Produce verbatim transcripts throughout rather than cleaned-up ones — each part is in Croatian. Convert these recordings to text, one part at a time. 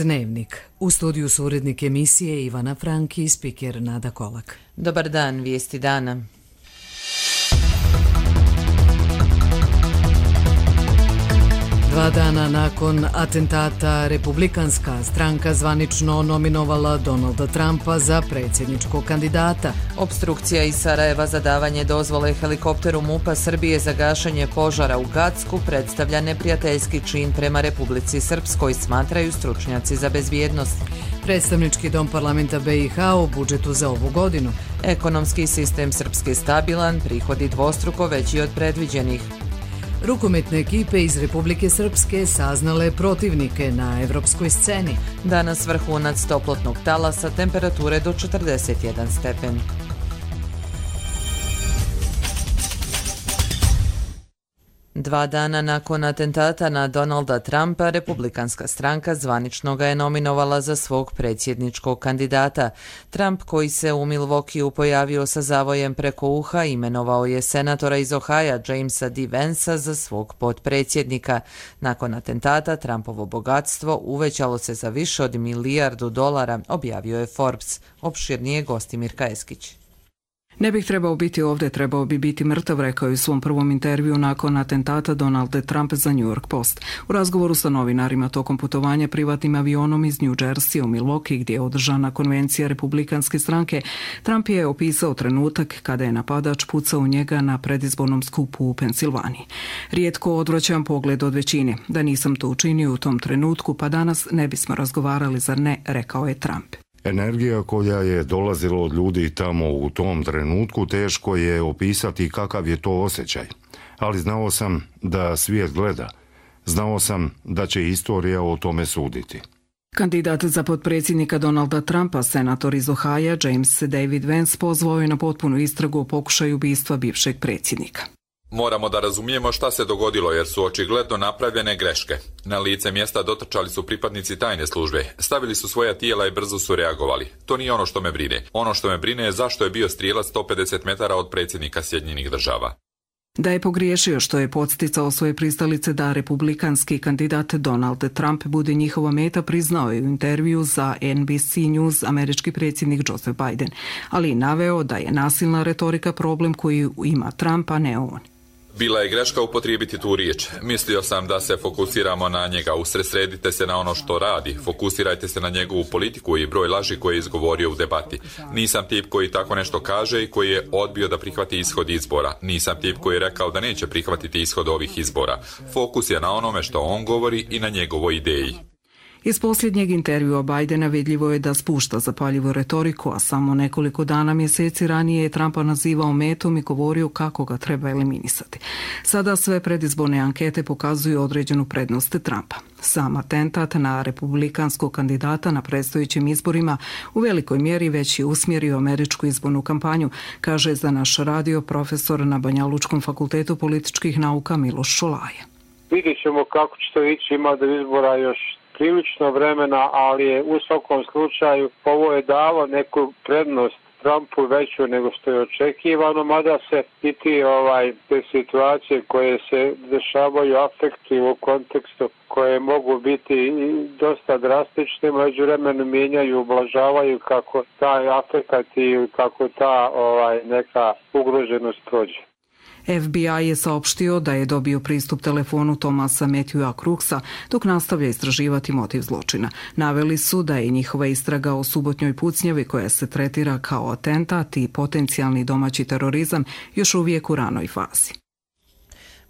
Dnevnik. U studiju su urednik emisije Ivana Franki i spiker Nada Kolak. Dobar dan, vijesti dana. Dva dana nakon atentata Republikanska stranka zvanično nominovala Donalda Trumpa za predsjedničkog kandidata. Opstrukcija iz Sarajeva za davanje dozvole helikopteru MUP-a Srbije za gašenje požara u Gacku predstavlja neprijateljski čin prema Republici Srpskoj, smatraju stručnjaci za bezbjednost. Predstavnički dom parlamenta B i H o budžetu za ovu godinu. Ekonomski sistem Srpske stabilan, prihodi dvostruko veći od predviđenih. Rukometne ekipe iz Republike Srpske saznale protivnike na evropskoj sceni. Danas vrhunac toplotnog talasa, temperature do četrdeset jedan stepen. Dva dana nakon atentata na Donalda Trumpa, Republikanska stranka zvanično ga je nominovala za svog predsjedničkog kandidata. Trump, koji se u Milwaukeeu pojavio sa zavojem preko uha, imenovao je senatora iz Ohaja Jamesa D. Vansa za svog potpredsjednika. Nakon atentata, Trumpovo bogatstvo uvećalo se za više od milijardu dolara, objavio je Forbes. Opširnije Gostimir Kajeskić. Ne bih trebao biti ovdje, trebao bi biti mrtav, rekao je u svom prvom intervju nakon atentata Donald Trump za New York Post. U razgovoru sa novinarima tokom putovanja privatnim avionom iz New Jersey u Milwaukee, gdje je održana konvencija Republikanske stranke, Trump je opisao trenutak kada je napadač pucao u njega na predizbornom skupu u Pensilvaniji. Rijetko odvraćam pogled od većine. Da nisam to učinio u tom trenutku, pa danas ne bismo razgovarali, zar ne, rekao je Trump. Energija koja je dolazila od ljudi tamo u tom trenutku, teško je opisati kakav je to osjećaj. Ali znao sam da svijet gleda. Znao sam da će istorija o tome suditi. Kandidat za potpredsjednika Donalda Trumpa, senator iz Ohaja James David Vance, pozvao je na potpunu istragu o pokušaju ubistva bivšeg predsjednika. Moramo da razumijemo šta se dogodilo jer su očigledno napravljene greške. Na lice mjesta dotrčali su pripadnici tajne službe, stavili su svoja tijela i brzo su reagovali. To nije ono što me brine. Ono što me brine je zašto je bio strijelac sto pedeset metara od predsjednika Sjedinjenih država. Da je pogriješio što je podsticao svoje pristalice da republikanski kandidat Donald Trump bude njihova meta, priznao je u intervju za N B C News američki predsjednik Joseph Biden, ali i naveo da je nasilna retorika problem koji ima Trump, a ne on. Bila je greška upotrijebiti tu riječ. Mislio sam da se fokusiramo na njega. Usredsredite se na ono što radi. Fokusirajte se na njegovu politiku i broj laži koje je izgovorio u debati. Nisam tip koji tako nešto kaže i koji je odbio da prihvati ishod izbora. Nisam tip koji je rekao da neće prihvatiti ishod ovih izbora. Fokus je na onome što on govori i na njegovoj ideji. Iz posljednjeg intervjua Bidena vidljivo je da spušta zapaljivu retoriku, a samo nekoliko dana mjeseci ranije je Trumpa nazivao metom i govorio kako ga treba eliminisati. Sada sve predizborne ankete pokazuju određenu prednost Trumpa. Sam atentat na republikanskog kandidata na predstojećim izborima u velikoj mjeri već je usmjerio američku izbornu kampanju, kaže za naš radio profesor na Banjalučkom fakultetu političkih nauka Miloš Šolaje. Vidjet ćemo kako će to ići, ima do izbora još prilično vremena, ali je u svakom slučaju ovo je dalo neku prednost Trumpu veću nego što je očekivano, mada se i ti ovaj, te situacije koje se dešavaju afektuju u kontekstu koje mogu biti dosta drastične, međuvremenu mijenjaju, ublažavaju kako taj afekat i kako ta ovaj, neka ugroženost prođe. F B I je saopštio da je dobio pristup telefonu Thomasa Matthewa Crooksa dok nastavlja istraživati motiv zločina. Naveli su da je njihova istraga o subotnjoj pucnjavi koja se tretira kao atentat i potencijalni domaći terorizam još uvijek u ranoj fazi.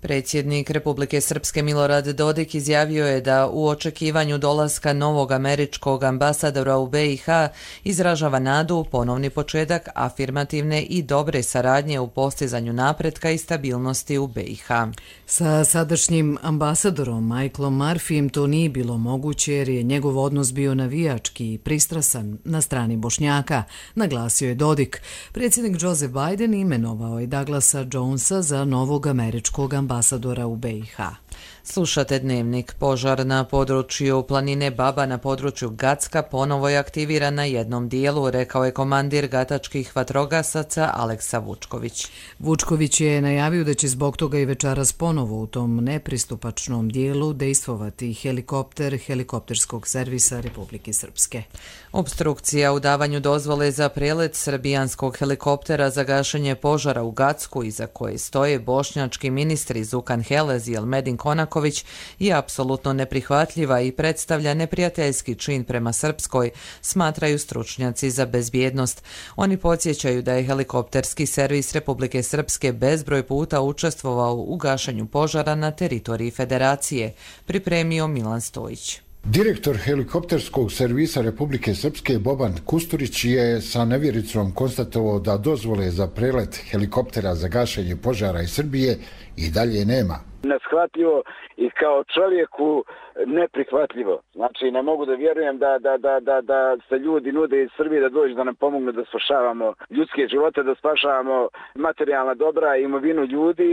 Predsjednik Republike Srpske Milorad Dodik izjavio je da u očekivanju dolaska novog američkog ambasadora u B i H izražava nadu u ponovni početak afirmativne i dobre saradnje u postizanju napretka i stabilnosti u B i H. Sa sadašnjim ambasadorom Michaelom Murphyjem to nije bilo moguće jer je njegov odnos bio navijački i pristrasan na strani Bošnjaka, naglasio je Dodik. Predsjednik Joseph Biden imenovao je Douglasa Jonesa za novog američkog ambasadora u B i H. Slušate Dnevnik. Požar na području planine Baba na području Gacka ponovo je aktiviran na jednom dijelu, rekao je komandir gatačkih vatrogasaca Aleksa Vučković. Vučković je najavio da će zbog toga i večeras ponovo u tom nepristupačnom dijelu dejstvovati helikopter helikopterskog servisa Republike Srpske. Obstrukcija u davanju dozvole za prelet srbijanskog helikoptera za gašenje požara u Gacku, iza koje stoje bošnjački ministri Zukan Helez i Elmedin Konaković, je apsolutno neprihvatljiva i predstavlja neprijateljski čin prema Srpskoj, smatraju stručnjaci za bezbjednost. Oni podsjećaju da je helikopterski servis Republike Srpske bezbroj puta učestvovao u gašenju požara na teritoriji Federacije, pripremio Milan Stojić. Direktor helikopterskog servisa Republike Srpske Boban Kusturić je sa nevjericom konstatovao da dozvole za prelet helikoptera za gašenje požara iz Srbije i dalje nema. Neshvatljivo i kao čovjeku neprihvatljivo. Znači, ne mogu da vjerujem da, da, da, da, da se ljudi nude iz Srbije da dođu da nam pomognu da spašavamo ljudske živote, da spašavamo materijalna dobra i imovinu ljudi,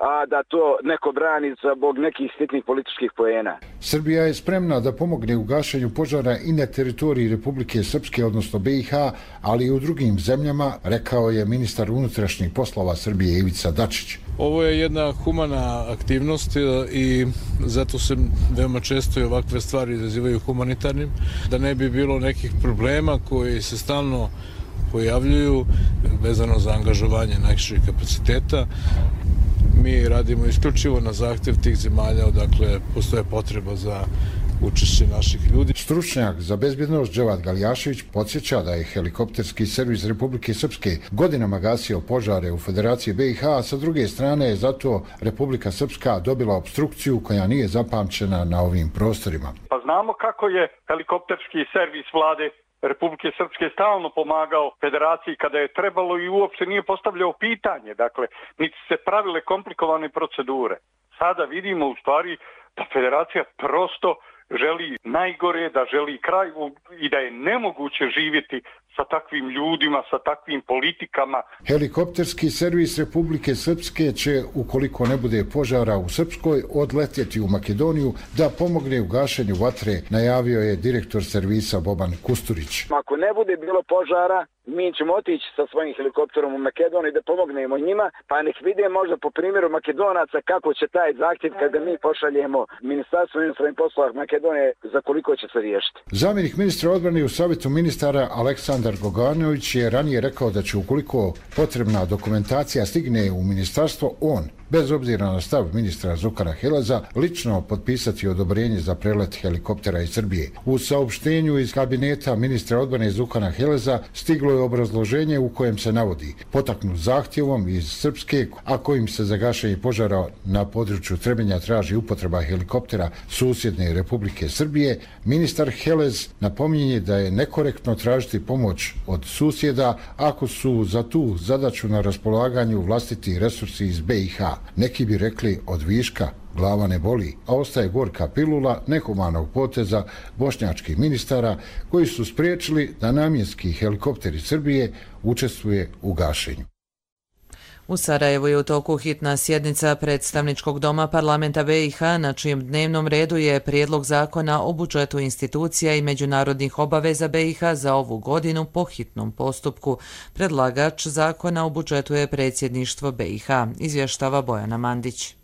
a da to neko brani zbog nekih sitnih političkih poena. Srbija je spremna da pomogne u gašenju požara i na teritoriji Republike Srpske, odnosno B i H, ali i u drugim zemljama, rekao je ministar unutrašnjih poslova Srbije Ivica Dačić. Ovo je jedna humana aktivnost i zato se veoma često i ovakve stvari izazivaju humanitarnim, da ne bi bilo nekih problema koji se stalno pojavljuju vezano za angažovanje najširih kapaciteta. Mi radimo isključivo na zahtjev tih zemalja, odakle postoje potreba za učešće naših ljudi. Stručnjak za bezbjednost Dževad Galjašević podsjeća da je helikopterski servis Republike Srpske godinama gasio požare u Federaciji B i H, a sa druge strane je zato Republika Srpska dobila obstrukciju koja nije zapamćena na ovim prostorima. Pa znamo kako je helikopterski servis vlade Republike Srpske stalno pomagao Federaciji kada je trebalo i uopšte nije postavljao pitanje, dakle, niti se pravile komplikovane procedure. Sada vidimo u stvari da Federacija prosto želi najgore, da želi kraj i da je nemoguće živjeti sa takvim ljudima, sa takvim politikama. Helikopterski servis Republike Srpske će, ukoliko ne bude požara u Srpskoj, odletjeti u Makedoniju da pomogne u gašenju vatre, najavio je direktor servisa Boban Kusturić. Ako ne bude bilo požara, mi ćemo otići sa svojim helikopterom u Makedoniju da pomognemo njima, pa nek vide možda po primjeru Makedonaca kako će taj zahtjev kada mi pošaljemo Ministarstvo unutrašnjih poslova Makedonije za koliko će se riješiti. Zamjenik ministra odbrane u Savjetu ministara Aleksandar Goganović je ranije rekao da će ukoliko potrebna dokumentacija stigne u ministarstvo, on, bez obzira na stav ministra Zukana Heleza, lično potpisati odobrenje za prelet helikoptera iz Srbije. U saopštenju iz kabineta ministra odbrane Zukana Heleza stiglo je obrazloženje u kojem se navodi: potaknut zahtjevom iz Srpske, a kojim se za gašenje požara na području Trebinja traži upotreba helikoptera susjedne Republike Srbije, ministar Helez napominje da je nekorektno tražiti pomoć od susjeda ako su za tu zadaću na raspolaganju vlastiti resursi iz B i H. Neki bi rekli od viška glava ne boli, a ostaje gorka pilula nehumanog poteza bošnjačkih ministara koji su spriječili da namjenski helikopteri Srbije učestvuje u gašenju. U Sarajevu je u toku hitna sjednica predstavničkog doma parlamenta B i H, na čijem dnevnom redu je prijedlog zakona o budžetu institucija i međunarodnih obaveza B i H za ovu godinu po hitnom postupku. Predlagač zakona o budžetu je predsjedništvo B i H, izvještava Bojana Mandić.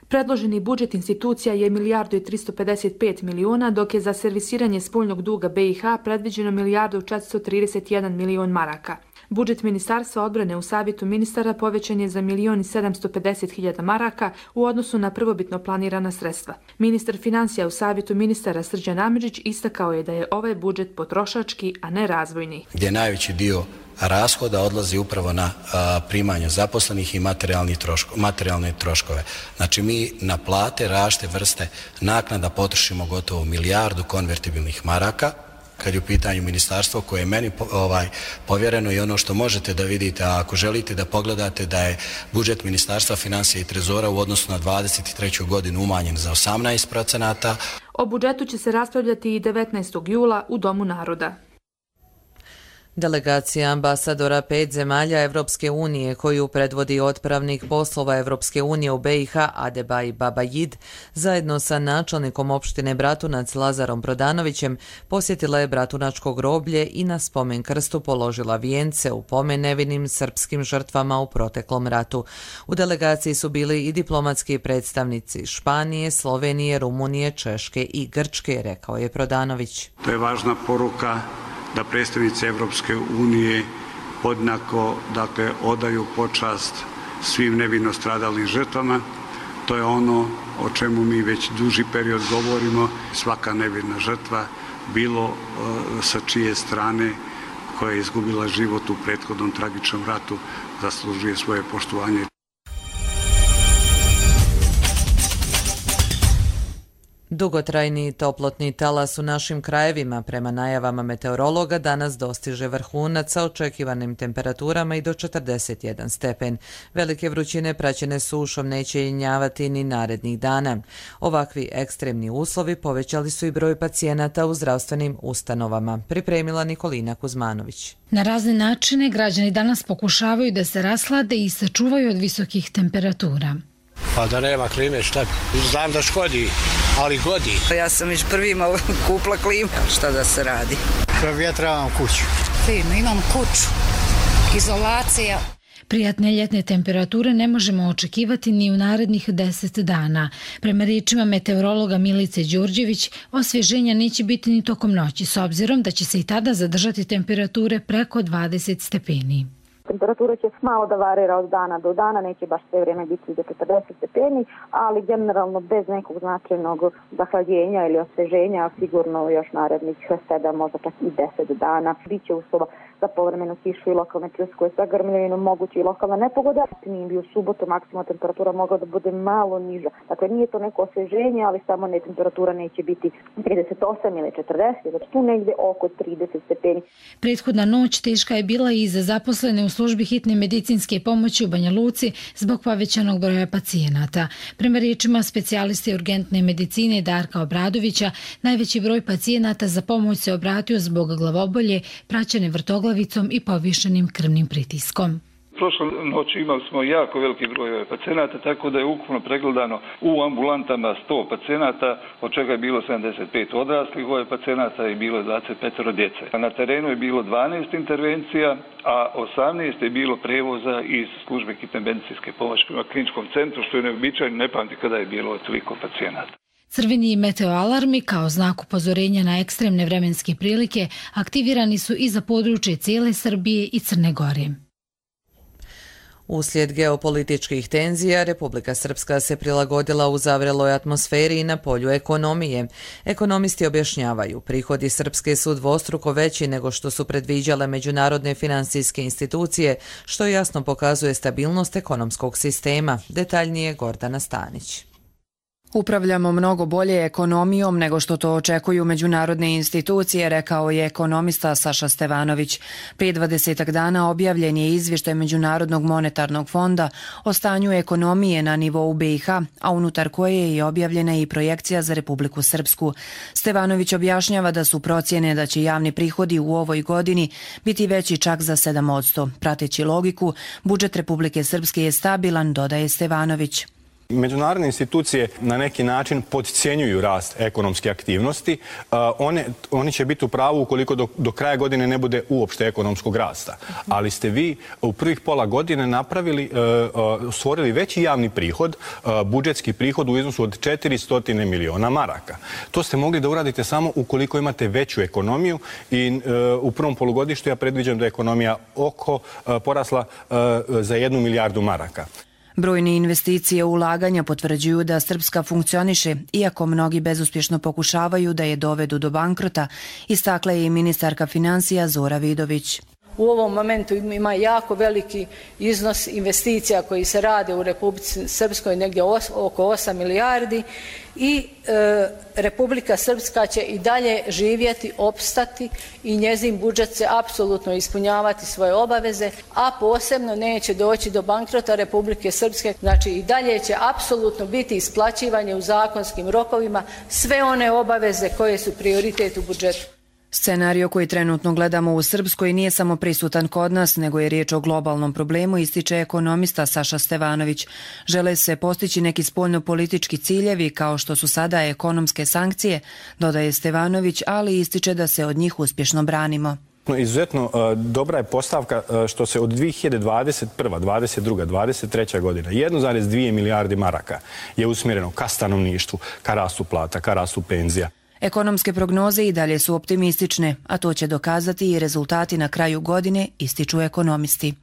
Predloženi budžet institucija je milijardu i tristo pedeset pet miliona, dok je za servisiranje spoljnog duga B i H predviđeno milijardu četiristo trideset jedan milion maraka. Budžet Ministarstva odbrane u Savjetu ministara povećan je za milion i sedamsto pedeset hiljada maraka u odnosu na prvobitno planirana sredstva. Ministar financija u Savjetu ministara Srđan Amidžić istakao je da je ovaj budžet potrošački, a ne razvojni. Gdje najveći dio rashoda odlazi upravo na a, primanje zaposlenih i materijalni troško, materijalne troškove. Znači mi na plate različite vrste naknada potrošimo gotovo milijardu konvertibilnih maraka, kad je u pitanju ministarstvo koje je meni ovaj, povjereno i ono što možete da vidite, a ako želite da pogledate da je budžet Ministarstva financija i trezora u odnosu na dvadeset treću godinu umanjen za osamnaest procenata. O budžetu će se raspravljati i devetnaestog jula u Domu naroda. Delegacija ambasadora pet zemalja Evropske unije koju predvodi otpravnik poslova Evropske unije u B i H Adebaj Babajid zajedno sa načelnikom opštine Bratunac Lazarom Prodanovićem posjetila je Bratunačko groblje i na spomen krstu položila vijence u pomen nevinim srpskim žrtvama u proteklom ratu. U delegaciji su bili i diplomatski predstavnici Španije, Slovenije, Rumunije, Češke i Grčke, rekao je Prodanović. To je važna poruka da predstavnici Evropske unije podjednako dakle, odaju počast svim nevino stradalim žrtvama. To je ono o čemu mi već duži period govorimo. Svaka nevina žrtva, bilo uh, sa čije strane koja je izgubila život u prethodnom tragičnom ratu, zaslužuje svoje poštovanje. Dugotrajni toplotni talas u našim krajevima prema najavama meteorologa danas dostiže vrhunac sa očekivanim temperaturama i do četrdeset jedan stepen. Velike vrućine praćene sušom neće jenjavati ni narednih dana. Ovakvi ekstremni uslovi povećali su i broj pacijenata u zdravstvenim ustanovama, pripremila Nikolina Kuzmanović. Na razne načine građani danas pokušavaju da se raslade i sačuvaju od visokih temperatura. Pa da nema klime, šta? Znam da škodi, ali godi. Ja sam već prvima kupila klimu, šta da se radi? Provjetravam kuću. Fino, imam kuću, izolacija. Prijatne ljetne temperature ne možemo očekivati ni u narednih deset dana. Prema riječima meteorologa Milice Đurđević, osvježenja neće biti ni tokom noći, s obzirom da će se i tada zadržati temperature preko dvadeset stepeni. Temperatura će malo da varira od dana do dana, neće baš sve vrijeme biti do četrdeset stepeni, ali generalno bez nekog značajnog zahlađenja ili osveženja, sigurno još narednih sedam, možda čak i deset dana. Biće uslova za povremenu kišu i lokalne pljuskove sa grmljavinom, moguće i lokalna nepogoda. Nije bi u subotu maksimalna temperatura mogla da bude malo niža. Dakle, nije to neko osveženje, ali samo ne temperatura neće biti trideset osam ili četrdeset, znači tu negdje oko trideset stepeni. Prethodna noć teška je bila i za zaposlene u službi hitne medicinske pomoći u Banja Luci zbog povećanog broja pacijenata. Prema riječima specijaliste urgentne medicine Darka Obradovića, najveći broj pacijenata za pomoć se obratio zbog glavobolje, praćene vrtoglavicom i povišenim krvnim pritiskom. Prošle noći imali smo jako veliki broj pacijenata, tako da je ukupno pregledano u ambulantama sto pacijenata, od čega je bilo sedamdeset pet odraslih pacijenata i bilo dvadeset pet djece. Na terenu je bilo dvanaest intervencija, a osamnaest je bilo prevoza iz službe hitne medicinske pomoći prema kliničkom centru, što je neobičajno, ne pamti kada je bilo toliko pacijenata. Crveni meteoalarmi kao znak upozorenja na ekstremne vremenske prilike aktivirani su i za područje cijele Srbije i Crne Gore. Uslijed geopolitičkih tenzija, Republika Srpska se prilagodila u zavreloj atmosferi i na polju ekonomije. Ekonomisti objašnjavaju, prihodi Srpske su dvostruko veći nego što su predviđale međunarodne finansijske institucije, što jasno pokazuje stabilnost ekonomskog sistema. Detaljnije Gordana Stanić. Upravljamo mnogo bolje ekonomijom nego što to očekuju međunarodne institucije, rekao je ekonomista Saša Stevanović. Prije dvadesetak dana objavljen je izvještaj Međunarodnog monetarnog fonda o stanju ekonomije na nivou B i H, a unutar koje je i objavljena i projekcija za Republiku Srpsku. Stevanović objašnjava da su procjene da će javni prihodi u ovoj godini biti veći čak za sedam posto. Prateći logiku, budžet Republike Srpske je stabilan, dodaje Stevanović. Međunarodne institucije na neki način podcjenjuju rast ekonomske aktivnosti. One, oni će biti u pravu ukoliko do, do kraja godine ne bude uopšte ekonomskog rasta. Ali ste vi u prvih pola godine napravili, stvorili veći javni prihod, budžetski prihod u iznosu od četiristo miliona maraka. To ste mogli da uradite samo ukoliko imate veću ekonomiju i u prvom polugodištu ja predviđam da je ekonomija oko porasla za jednu milijardu maraka. Brojne investicije u ulaganja potvrđuju da Srpska funkcioniše, iako mnogi bezuspješno pokušavaju da je dovedu do bankrota, istakla je i ministarka financija Zora Vidović. U ovom momentu ima jako veliki iznos investicija koji se rade u Republici Srpskoj, negdje oko osam milijardi i e, Republika Srpska će i dalje živjeti, opstati i njezin budžet će apsolutno ispunjavati svoje obaveze, a posebno neće doći do bankrota Republike Srpske. Znači i dalje će apsolutno biti isplaćivanje u zakonskim rokovima sve one obaveze koje su prioritet u budžetu. Scenario koji trenutno gledamo u Srpskoj nije samo prisutan kod nas, nego je riječ o globalnom problemu, ističe ekonomista Saša Stevanović. Žele se postići neki spoljno-politički ciljevi kao što su sada ekonomske sankcije, dodaje Stevanović, ali ističe da se od njih uspješno branimo. Izuzetno dobra je postavka što se od dvije hiljade dvadeset prve, dvadeset druge, dvadeset treće godina jedno zarez dvije milijardi maraka je usmjereno ka stanovništvu, ka rastu plata, ka rastu penzija. Ekonomske prognoze i dalje su optimistične, a to će dokazati i rezultati na kraju godine, ističu ekonomisti.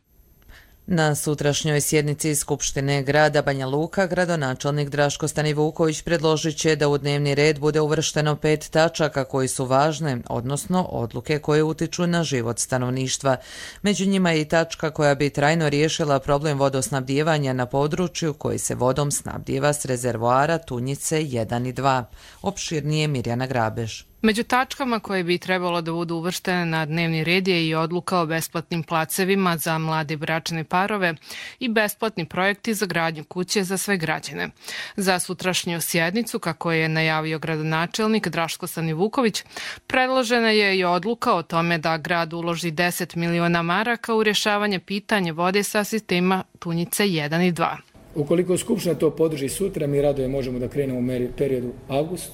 Na sutrašnjoj sjednici Skupštine grada Banja Luka gradonačelnik Draško Stanivuković predložit će da u dnevni red bude uvršteno pet tačaka koji su važne, odnosno odluke koje utiču na život stanovništva. Među njima je i tačka koja bi trajno riješila problem vodosnabdijevanja na području koji se vodom snabdijeva s rezervoara Tunjice jedan i dva. Opširnije Mirjana Grabež. Među tačkama koje bi trebalo da budu uvrštene na dnevni red je i odluka o besplatnim placevima za mlade bračne parove i besplatni projekti za gradnju kuće za sve građane. Za sutrašnju sjednicu, kako je najavio gradonačelnik Draško Stanivuković, predložena je i odluka o tome da grad uloži deset miliona maraka u rješavanje pitanja vode sa sistema Tunjice jedan i dva. Ukoliko Skupština to podrži sutra, mi radoje možemo da krenemo u periodu avgustu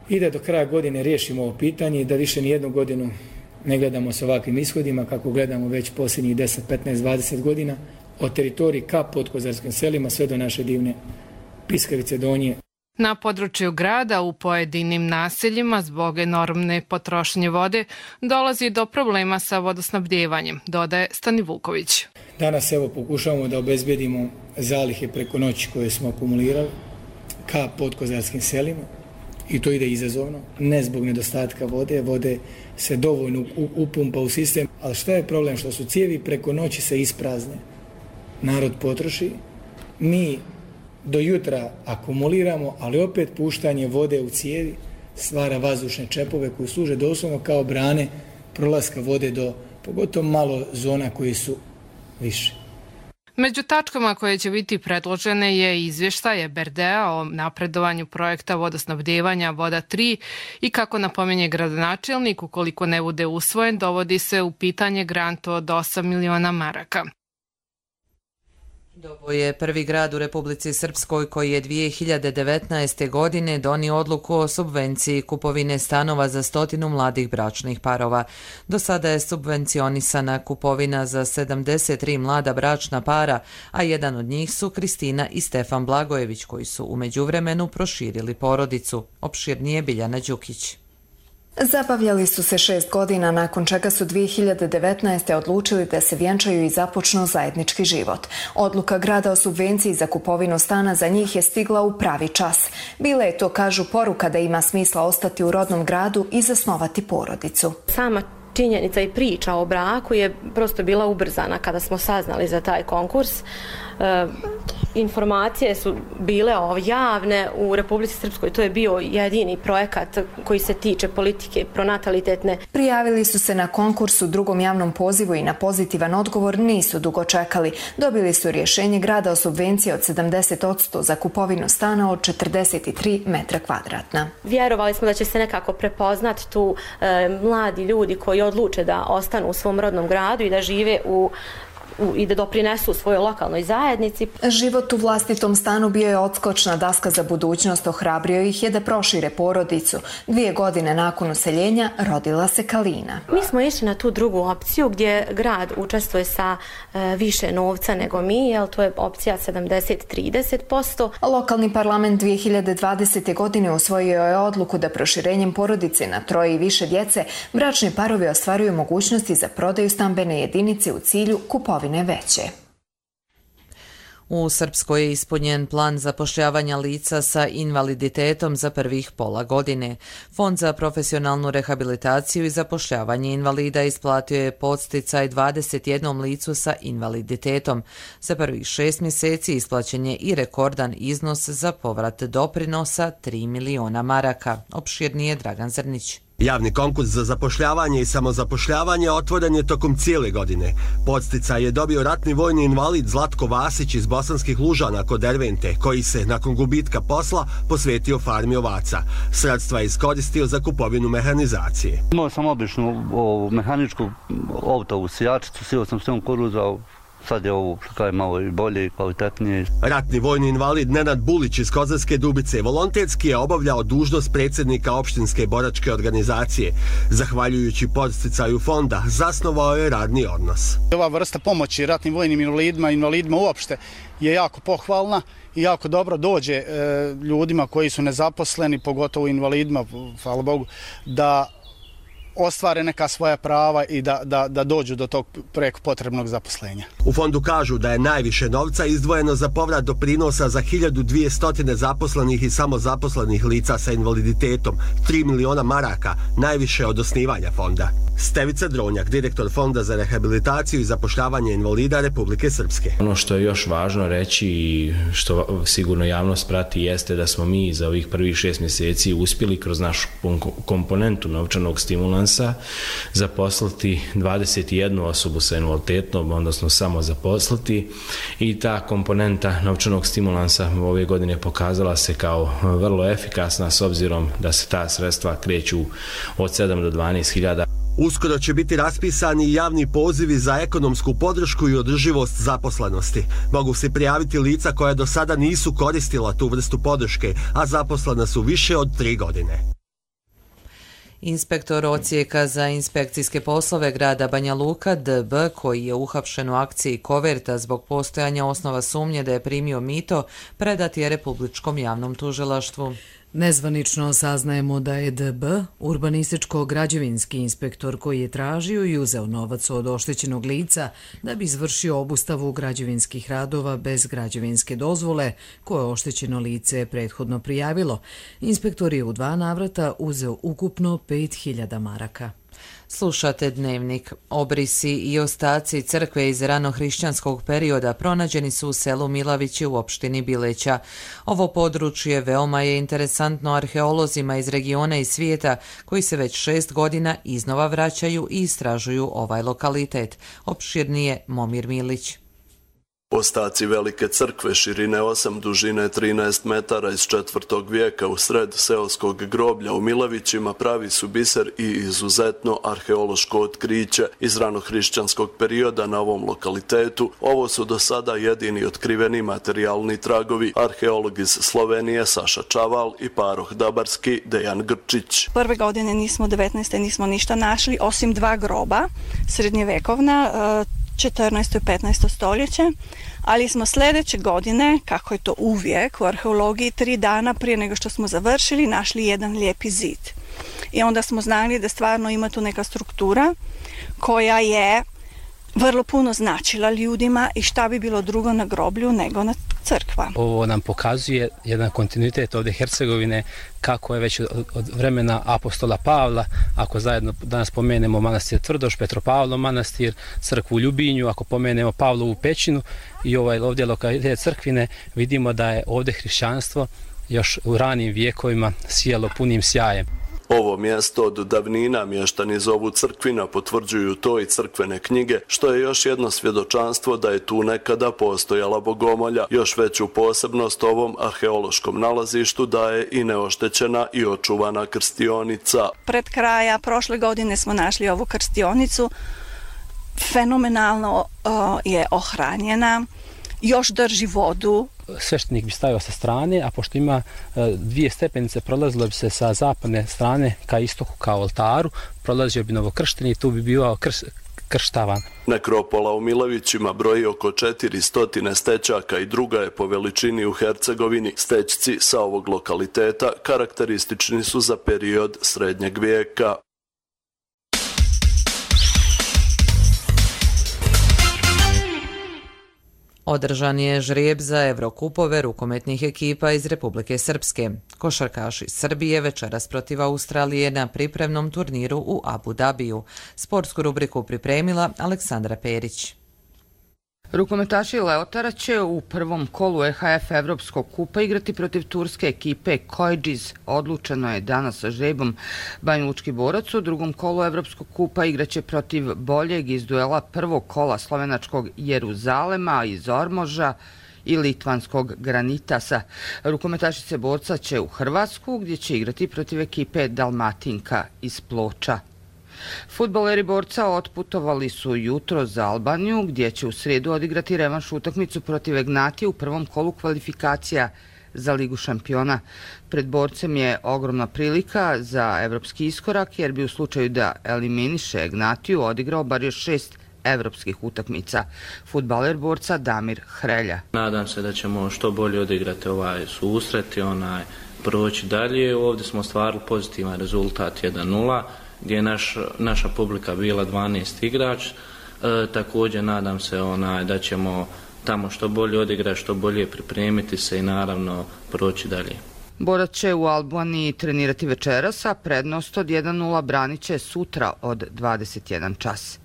i da do kraja godine riješimo ovo pitanje i da više ni jednu godinu ne gledamo s ovakvim ishodima kako gledamo već posljednjih deset, petnaest, dvadeset godina od teritoriji ka podkozarskim selima sve do naše divne Piskavice Donje. Na području grada u pojedinim naseljima zbog enormne potrošnje vode dolazi do problema sa vodosnabdjevanjem, dodaje Stanivuković. Danas evo pokušavamo da obezbedimo zalihe preko noći koje smo akumulirali ka podkozarskim selima. I to ide izazovno, ne zbog nedostatka vode, vode se dovoljno upumpa u sistem, ali šta je problem? Što su cijevi preko noći se isprazne, narod potroši, mi do jutra akumuliramo, ali opet puštanje vode u cijevi stvara vazdušne čepove koji služe doslovno kao brane prolaska vode do pogotovo malo zona koji su više. Među tačkama koje će biti predložene je izvještaj E B R D-a o napredovanju projekta vodosnabdijevanja Voda tri i kako napominje gradonačelnik, ukoliko ne bude usvojen, dovodi se u pitanje grant od osam miliona maraka. Dobo je prvi grad u Republici Srpskoj koji je dvije hiljade devetnaeste. godine donio odluku o subvenciji kupovine stanova za stotinu mladih bračnih parova. Do sada je subvencionisana kupovina za sedamdeset tri mlada bračna para, a jedan od njih su Kristina i Stefan Blagojević koji su u međuvremenu proširili porodicu. Opširnije Biljana Đukić. Zabavljali su se šest godina, nakon čega su dvije hiljade devetnaeste. odlučili da se vjenčaju i započnu zajednički život. Odluka grada o subvenciji za kupovinu stana za njih je stigla u pravi čas. Bila je to, kažu, poruka da ima smisla ostati u rodnom gradu i zasnovati porodicu. Sama činjenica i priča o braku je prosto bila ubrzana kada smo saznali za taj konkurs. E, informacije su bile javne u Republici Srpskoj. To je bio jedini projekat koji se tiče politike pronatalitetne. Prijavili su se na konkurs u drugom javnom pozivu i na pozitivan odgovor nisu dugo čekali. Dobili su rješenje grada o subvenciji od sedamdeset posto za kupovinu stana od četrdeset tri metra kvadratna. Vjerovali smo da će se nekako prepoznati tu e, mladi ljudi koji odluče da ostanu u svom rodnom gradu i da žive u i da doprinesu svojoj lokalnoj zajednici. Život u vlastitom stanu bio je odskočna daska za budućnost, ohrabrio ih je da prošire porodicu. Dvije godine nakon useljenja rodila se Kalina. Mi smo išli na tu drugu opciju gdje grad učestvuje sa e, više novca nego mi, jer to je opcija sedamdeset trideset posto. Lokalni parlament dvije hiljade dvadesete. godine usvojio je odluku da proširenjem porodice na troje i više djece bračni parovi ostvaruju mogućnosti za prodaju stambene jedinice u cilju kupovine veće. U Srpskoj je ispunjen plan zapošljavanja lica sa invaliditetom za prvih pola godine. Fond za profesionalnu rehabilitaciju i zapošljavanje invalida isplatio je podsticaj dvadeset jednom licu sa invaliditetom. Za prvih šest mjeseci isplaćen je i rekordan iznos za povrat doprinosa tri miliona maraka. Opširnije Dragan Zrnić. Javni konkurs za zapošljavanje i samozapošljavanje otvoren je tokom cijele godine. Podsticaj je dobio ratni vojni invalid Zlatko Vasić iz Bosanskih Lužana kod Dervente, koji se, nakon gubitka posla, posvetio farmi ovaca. Sredstva je iskoristio za kupovinu mehanizacije. Imao sam običnu ovu, mehaničku autovu sijačicu, sio sam sve kuruza, sad je ovo što je malo i bolje i kvalitetnije. Ratni vojni invalid Nenad Bulić iz Kozarske Dubice volonterski je obavljao dužnost predsjednika opštinske boračke organizacije. Zahvaljujući podsticaju fonda, zasnovao je radni odnos. Ova vrsta pomoći ratnim vojnim invalidima, invalidima uopšte, je jako pohvalna i jako dobro dođe e, ljudima koji su nezaposleni, pogotovo invalidima, hvala Bogu, da ostvare neka svoja prava i da, da, da dođu do tog preko potrebnog zaposlenja. U fondu kažu da je najviše novca izdvojeno za povrat doprinosa za hiljadu dvjesto zaposlenih i samozaposlenih lica sa invaliditetom, tri miliona maraka, najviše od osnivanja fonda. Stevica Dronjak, direktor Fonda za rehabilitaciju i zapošljavanje invalida Republike Srpske. Ono što je još važno reći i što sigurno javnost prati jeste da smo mi za ovih prvih šest mjeseci uspjeli kroz našu komponentu novčanog stimulansa zaposliti dvadeset jednu osobu sa invaliditetom, odnosno samo zaposliti, i ta komponenta novčanog stimulansa ove godine pokazala se kao vrlo efikasna s obzirom da se ta sredstva kreću od sedam do dvanaest hiljada. Uskoro će biti raspisani i javni pozivi za ekonomsku podršku i održivost zaposlenosti. Mogu se prijaviti lica koja do sada nisu koristila tu vrstu podrške, a zaposlena su više od tri godine. Inspektor odsjeka za inspekcijske poslove grada Banja Luka D B, koji je uhapšen u akciji Koverta zbog postojanja osnova sumnje da je primio mito, predat je Republičkom javnom tužilaštvu. Nezvanično saznajemo da je D B urbanističko-građevinski inspektor koji je tražio i uzeo novac od oštećenog lica da bi izvršio obustavu građevinskih radova bez građevinske dozvole koje oštećeno lice prethodno prijavilo. Inspektor je u dva navrata uzeo ukupno pet hiljada maraka. Slušate Dnevnik. Obrisi i ostaci crkve iz ranohrišćanskog perioda pronađeni su u selu Milavići u opštini Bileća. Ovo područje veoma je interesantno arheolozima iz regiona i svijeta koji se već šest godina iznova vraćaju i istražuju ovaj lokalitet. Opširnije Momir Milić. Ostaci velike crkve širine osam, dužine trinaest metara iz četvrtog vijeka u sred seoskog groblja u Milavićima pravi su biser i izuzetno arheološko otkriće iz ranohrišćanskog perioda na ovom lokalitetu. Ovo su do sada jedini otkriveni materijalni tragovi. Arheolog iz Slovenije Saša Čaval i paroh Dabarski Dejan Grčić. Prve godine nismo, devetnaeste nismo ništa našli, osim dva groba, srednjevekovna, četrnaesto i petnaesto stoljeće, ali smo sljedeće godine, kako je to uvijek u arheologiji, tri dana prije nego što smo završili, našli jedan lijepi zid. I onda smo znali da stvarno ima tu neka struktura koja je vrlo puno značila ljudima i šta bi bilo drugo na groblju nego na crkva. Ovo nam pokazuje jedan kontinuitet ovdje Hercegovine, kako je već od, od vremena apostola Pavla, ako zajedno danas pomenemo manastir Tvrdoš, Petropavlov manastir, crkvu u Ljubinju, ako pomenemo Pavlovu pećinu i ovaj ovdje lokalitet crkvine, vidimo da je ovdje hrišćanstvo još u ranim vijekovima sijalo punim sjajem. Ovo mjesto od davnina mještani zovu Crkvina, potvrđuju to i crkvene knjige, što je još jedno svjedočanstvo da je tu nekada postojala bogomolja. Još veću posebnost ovom arheološkom nalazištu daje i neoštećena i očuvana krstionica. Pred kraja prošle godine smo našli ovu krstionicu, fenomenalno uh, je ohranjena, još drži vodu. Sveštenik bi stavio sa strane, a pošto ima dvije stepenice, prolazilo bi se sa zapadne strane ka istoku, ka oltaru, prolazio bi novokršteni i tu bi bio krš, krštavan. Nekropola u Milavićima broji oko četiristo stećaka i druga je po veličini u Hercegovini. Stećci sa ovog lokaliteta karakteristični su za period srednjeg vijeka. Održan je žrijeb za Evrokupove rukometnih ekipa iz Republike Srpske. Košarkaši Srbije večeras protiv Australije na pripremnom turniru u Abu Dabiju. Sportsku rubriku pripremila Aleksandra Perić. Rukometaši Leotara će u prvom kolu E H F Evropskog kupa igrati protiv turske ekipe Koydžiz. Odlučeno je danas sa žrebom. Banjalučki borac u drugom kolu Evropskog kupa igraće protiv boljeg iz duela prvog kola slovenačkog Jeruzalema iz Ormoža i litvanskog Granitasa. Rukometašice borca će u Hrvatsku gdje će igrati protiv ekipe Dalmatinka iz Ploča. Fudbaleri borca otputovali su jutro za Albaniju gdje će u srijedu odigrati revanš utakmicu protiv Egnatije u prvom kolu kvalifikacija za Ligu šampiona. Pred borcem je ogromna prilika za evropski iskorak jer bi u slučaju da eliminiše Egnatiju odigrao bar još šest evropskih utakmica. Fudbaler borca Damir Hrelja. Nadam se da ćemo što bolje odigrati ovaj susret i onaj proći dalje. Ovdje smo ostvarili pozitivan rezultat jedan nula gdje je naš, naša publika bila dvanaest igrač. E, također nadam se onaj, da ćemo tamo što bolje odigrati, što bolje pripremiti se i naravno proći dalje. Borac će u Albaniji trenirati večeras, a prednost od jedan nula branit će sutra od dvadeset jedan čas.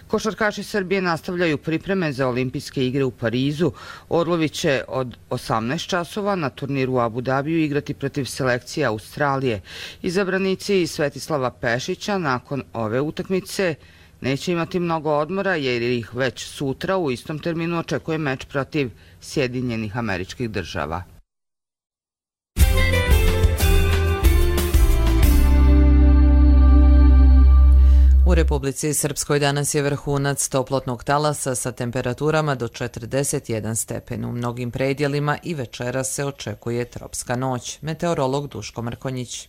Košarkaši Srbije nastavljaju pripreme za olimpijske igre u Parizu. Orlovi će od osamnaest časova na turniru u Abu Dabiju igrati protiv selekcije Australije. Izabranici Svetislava Pešića nakon ove utakmice neće imati mnogo odmora jer ih već sutra u istom terminu očekuje meč protiv Sjedinjenih Američkih Država. U Republici Srpskoj danas je vrhunac toplotnog talasa sa temperaturama do četrdeset jedan stepen. U mnogim predjelima i večera se očekuje tropska noć. Meteorolog Duško Mrkonjić.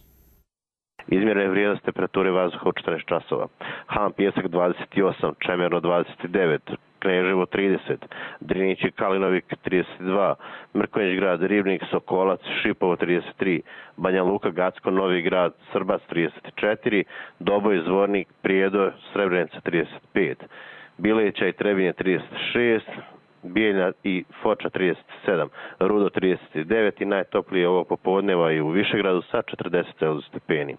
Izmjerene vrijednost temperature vazduha u četrnaest časova. Han Pjesak dvadeset osam, Čemerno dvadeset devet, Kneževo trideset, Drinić i Kalinovik trideset dva, Mrkonjić grad, Ribnik, Sokolac, Šipovo trideset tri, Banja Luka, Gacko, Novi grad, Srbac trideset četiri, Doboj, Zvornik, Prijedor, Srebrenica trideset pet, Bileća i Trebinje trideset šest, Bijeljna i Foča trideset sedam, Rudo trideset devet i najtoplije ovog popodneva i u Višegradu sa četrdeset stepeni.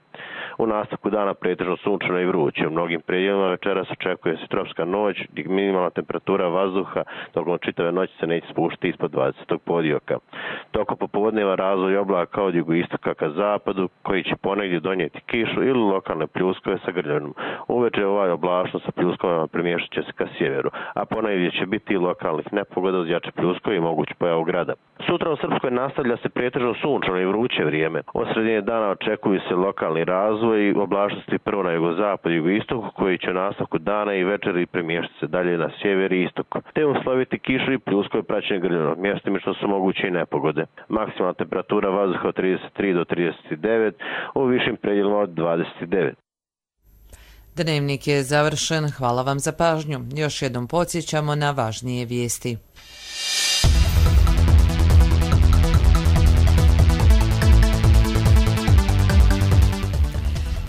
U nastavku dana pretežno sunčano i vruće. U mnogim predjelima večeras očekuje se tropska noć, gdje minimalna temperatura vazduha tokom čitave noći se neće spuštiti ispod dvadeset podioka. Tokom popodneva razvoj oblaka od jugoistoka ka zapadu, koji će ponegdje donijeti kišu ili lokalne pljuskove sa grljavinom. Uveče ovaj oblačno sa pljuskovima premještat će se ka sjeveru, a ponegdje će biti i lokalnih nepogoda uz jače pljuskove i moguć pojavu grada. Sutra u Srpskoj nastavlja se pretežno sunčano i vruće vrijeme. Od sredine dana očekuju se lokalni razvoj i oblačnosti prvo na jugozapad i jugoistoku, koji će u nastavku dana i večeri premještati se dalje na sjever i istok, te usloviti kišu i pljuskove praćenje grljanog mjestima što su moguće i nepogode. Maksimalna temperatura vazduha od trideset tri do trideset devet, u višim predjelima od dvadeset devet. Dnevnik je završen. Hvala vam za pažnju. Još jednom podsjećamo na važnije vijesti.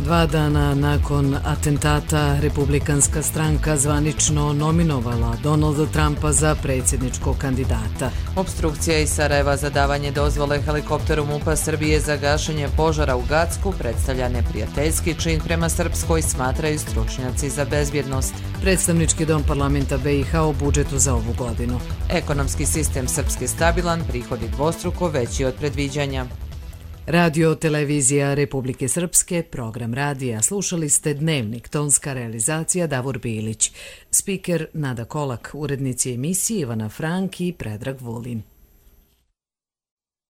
Dva dana nakon atentata Republikanska stranka zvanično nominovala Donalda Trumpa za predsjedničkog kandidata. Obstrukcija iz Sarajeva za davanje dozvole helikopteru MUP-a Srbije za gašenje požara u Gacku predstavlja neprijateljski čin prema Srpskoj, smatraju stručnjaci za bezbjednost. Predstavnički dom parlamenta B i H o budžetu za ovu godinu. Ekonomski sistem Srpske stabilan, prihodi dvostruko veći od predviđanja. Radio Televizija Republike Srpske, program radija. Slušali ste Dnevnik, tonska realizacija Davor Bilić. Spiker Nada Kolak, urednici emisije Ivana Frank i Predrag Vulin.